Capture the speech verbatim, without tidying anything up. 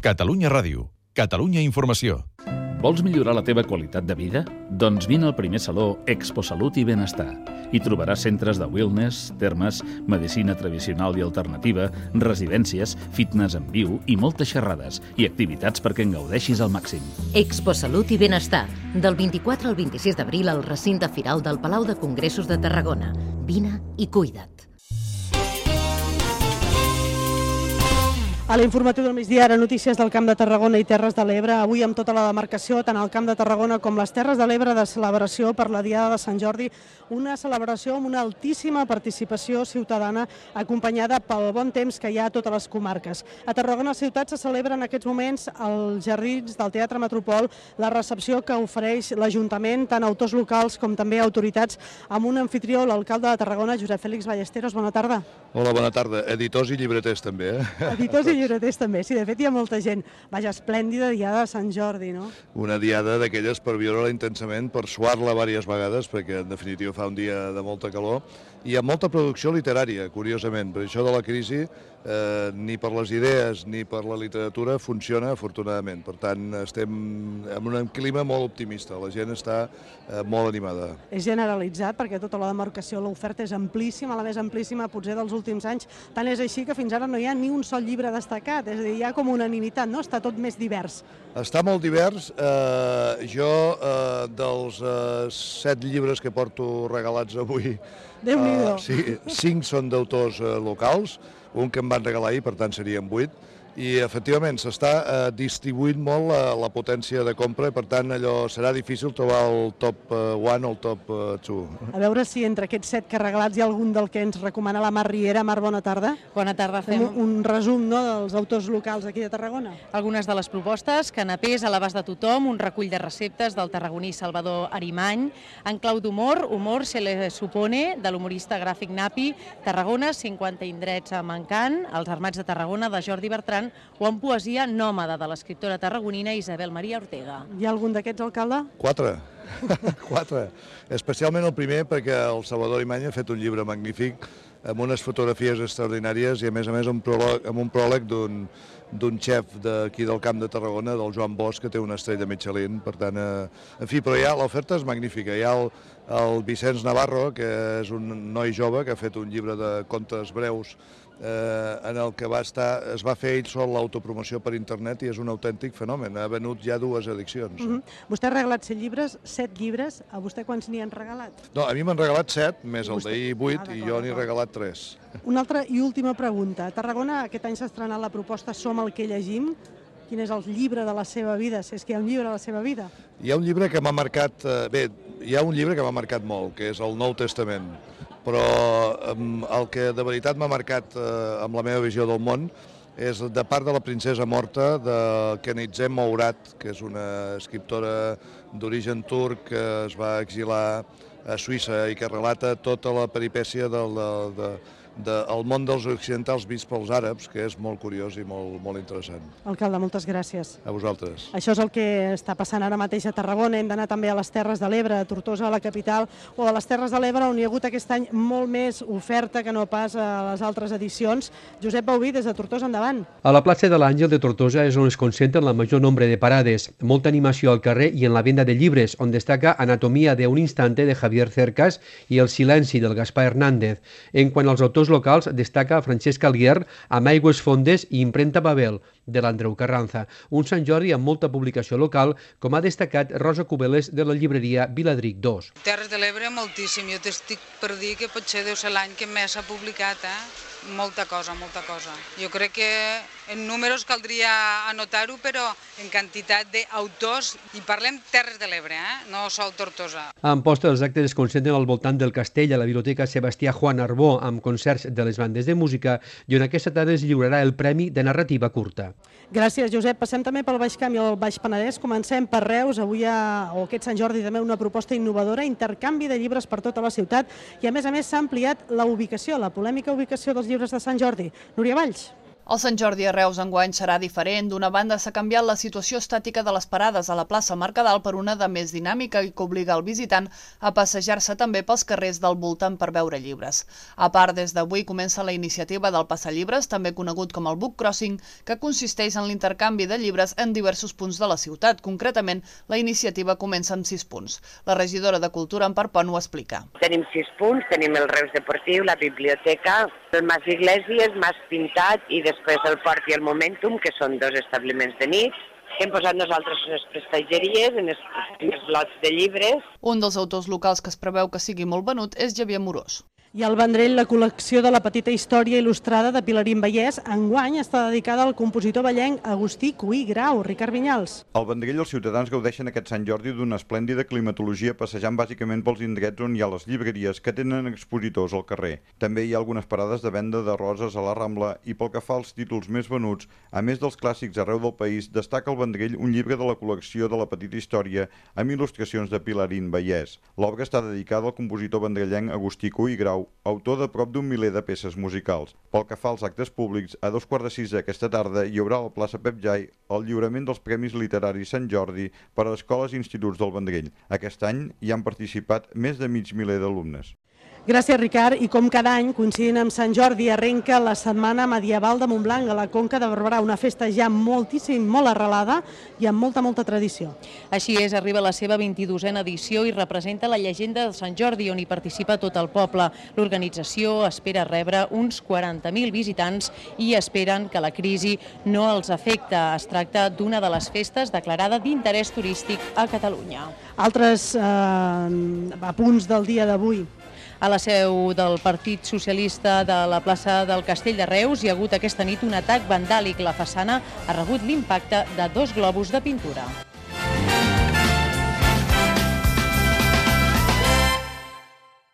Catalunya Ràdio. Catalunya Informació. Vols millorar la teva qualitat de vida? Doncs vine al primer saló Expo Salut i Benestar. Hi trobaràs centres de wellness, termes, medicina tradicional i alternativa, residències, fitness en viu i moltes xerrades i activitats perquè en gaudeixis al màxim. Expo Salut i Benestar, del vint-i-quatre al vint-i-sis d'abril al recinte firal del Palau de Congressos de Tarragona. Vine i cuida't. A l'informatiu del migdia, ara notícies del Camp de Tarragona i Terres de l'Ebre. Avui amb tota la demarcació, tant al Camp de Tarragona com les Terres de l'Ebre, de celebració per la Diada de Sant Jordi. Una celebració amb una altíssima participació ciutadana acompanyada pel bon temps que hi ha a totes les comarques. A Tarragona ciutat se celebra en aquests moments als jardins del Teatre Metropol la recepció que ofereix l'Ajuntament, tant autors locals com també autoritats, amb un anfitrió, l'alcalde de Tarragona, Josep Félix Ballesteros. Bona tarda. Hola, bona tarda. Editors i llibreters també, eh? Editors i llibreters també, sí, de fet hi ha molta gent. Vaja, esplèndida diada de Sant Jordi, no? Una diada d'aquelles per viure-la intensament, per suar-la diverses vegades, perquè en definitiva fa un dia de molta calor, i amb molta producció literària, curiosament. Per això de la crisi, eh, ni per les idees ni per la literatura funciona, afortunadament. Per tant, estem en un clima molt optimista, la gent està eh, molt animada. És generalitzat, perquè tota la demarcació, l'oferta és amplíssima, la més amplíssima potser dels últims anys. Tant és així que fins ara no hi ha ni un sol llibre destacat, és a dir, hi ha com unanimitat, no? Està tot més divers. Està molt divers. Eh, jo, eh, dels eh, set llibres que porto regalats avui, Déu-n'hi-do. Uh, sí, cinc són d'autors uh, locals, un que em van regalar ahir, per tant serien vuit, i efectivament s'està uh, distribuint molt la, la potència de compra i per tant allò serà difícil trobar el top one o el top two. A veure si entre aquests set que regalats hi ha algun del que ens recomana la Mar Riera. Mar, bona tarda. Bona tarda. Fem un, un resum, no, dels autors locals aquí de Tarragona. Algunes de les propostes, canapés a l'abast de tothom, un recull de receptes del tarragoní Salvador Arimany, en clau d'humor, Humor se le supone, de l'humorista gràfic Napi, Tarragona, cinquanta indrets a Mancant, Els armats de Tarragona, de Jordi Bertran, o en poesia Nòmada, de l'escriptora tarragonina Isabel Maria Ortega. Hi ha algun d'aquests, alcalde? Quatre. Quatre. Especialment el primer, perquè el Salvador Arimany ha fet un llibre magnífic amb unes fotografies extraordinàries i a més a més un pròleg, amb un pròleg d'un d'un xef d'aquí del Camp de Tarragona, del Joan Bosch, que té una estrella Michelin, per tant, eh, en fi, però ja l'oferta és magnífica. Hi ha el, el Vicenç Navarro, que és un noi jove que ha fet un llibre de contes breus eh, en el que va estar, es va fer ell sol l'autopromoció per internet i és un autèntic fenomen. Ha venut ja dues edicions. Uh-huh. Vostè ha regalat set llibres, set llibres. A vostè quants n'hi han regalat? No, a mi m'han regalat set, més el vostè... d'ahir vuit, ah, i jo n'he regalat tres. Una altra i última pregunta. A Tarragona aquest any s'ha estrenat la proposta Som el que llegim. Quin és el llibre de la seva vida, si és que hi ha un llibre de la seva vida? Hi ha un llibre que m'ha marcat, bé, hi ha un llibre que m'ha marcat molt, que és el Nou Testament, però el que de veritat m'ha marcat amb la meva visió del món és de part de la princesa morta de Kenizem Mourad, que és una escriptora d'origen turc que es va exilar a Suïssa i que relata tota la peripècia del, del, de, del món dels occidentals vist pels àrabs, que és molt curiós i molt, molt interessant. Alcalde, moltes gràcies. A vosaltres. Això és el que està passant ara mateix a Tarragona. Hem d'anar també a les Terres de l'Ebre, a Tortosa, a la capital, o a les Terres de l'Ebre, on hi ha hagut aquest any molt més oferta que no pas a les altres edicions. Josep Bauví, des de Tortosa, endavant. A la plaça de l'Àngel de Tortosa és on es concentren la major nombre de parades, molta animació al carrer i en la venda de llibres, on destaca Anatomia de un instante de Javier Cercas i El silenci del Gaspar Hernández. En quant als autors locals, destaca Francesc Alguer amb Aigües fondes i Imprenta Babel, de l'Andreu Carranza. Un Sant Jordi amb molta publicació local, com ha destacat Rosa Cubeles de la llibreria Viladric dos. Terres de l'Ebre moltíssim, jo t'estic per dir que potser deu ser l'any que més s'ha publicat, eh? Molta cosa, molta cosa. Jo crec que en números caldria anotar-ho, però en quantitat d'autors, i parlem Terres de l'Ebre, eh? No sol Tortosa. A Amposta els actes es concentren al voltant del castell a la Biblioteca Sebastià Juan Arbó, amb concerts de les bandes de música, i on aquesta tarda es lliurarà el Premi de Narrativa Curta. Gràcies, Josep. Passem també pel Baix Camp i el Baix Penedès. Comencem per Reus. Avui hi ha, o aquest Sant Jordi, també una proposta innovadora, intercanvi de llibres per tota la ciutat, i a més a més s'ha ampliat la ubicació, la polèmica ubicació dels llibres de Sant Jordi. Núria Valls. El Sant Jordi a Reus enguany serà diferent. D'una banda, s'ha canviat la situació estàtica de les parades a la plaça Mercadal per una de més dinàmica i que obliga el visitant a passejar-se també pels carrers del voltant per veure llibres. A part, des d'avui comença la iniciativa del Passallibres, també conegut com el Book Crossing, que consisteix en l'intercanvi de llibres en diversos punts de la ciutat. Concretament, la iniciativa comença amb sis punts. La regidora de Cultura, Empar Pont, ho explica. Tenim sis punts, tenim el Reus Deportiu, la biblioteca, el Mas Iglesias, Mas Pintat i després el Port i el Momentum, que són dos establiments de nit. Hem posat nosaltres unes prestatgeries en els, en els lots de llibres. Un dels autors locals que es preveu que sigui molt venut és Xavier Morós. I al Vendrell, la col·lecció de la petita història il·lustrada de Pilarín Vallès enguany està dedicada al compositor vallenc Agustí Cuí Grau. Ricard Vinyals. Al Vendrell els ciutadans gaudeixen aquest Sant Jordi d'una esplèndida climatologia passejant bàsicament pels indrets on hi ha les llibreries que tenen expositors al carrer. També hi ha algunes parades de venda de roses a la Rambla i pel que fa als títols més venuts, a més dels clàssics arreu del país, destaca al Vendrell un llibre de la col·lecció de la petita història amb il·lustracions de Pilarín Vallès. L'obra està dedicada al compositor vendrellenc Agustí Cuí Grau, autor de prop d'un miler de peces musicals. Pel que fa als actes públics, a dos quarts de sis aquesta tarda hi haurà a la plaça Pep Jai el lliurament dels Premis Literaris Sant Jordi per a escoles i instituts del Vendrell. Aquest any hi han participat més de mig miler d'alumnes. Gràcies, Ricard. I com cada any, coincidint amb Sant Jordi, arrenca la Setmana Medieval de Montblanc a la Conca de Barberà, una festa ja moltíssim, molt arrelada i amb molta, molta tradició. Així és, arriba la seva vint-i-dosena edició i representa la llegenda de Sant Jordi, on hi participa tot el poble. L'organització espera rebre uns quaranta mil visitants i esperen que la crisi no els afecta. Es tracta d'una de les festes declarada d'interès turístic a Catalunya. Altres eh, apunts del dia d'avui. A la seu del Partit Socialista de la plaça del Castell de Reus hi ha hagut aquesta nit un atac vandàlic. La façana ha rebut l'impacte de dos globus de pintura.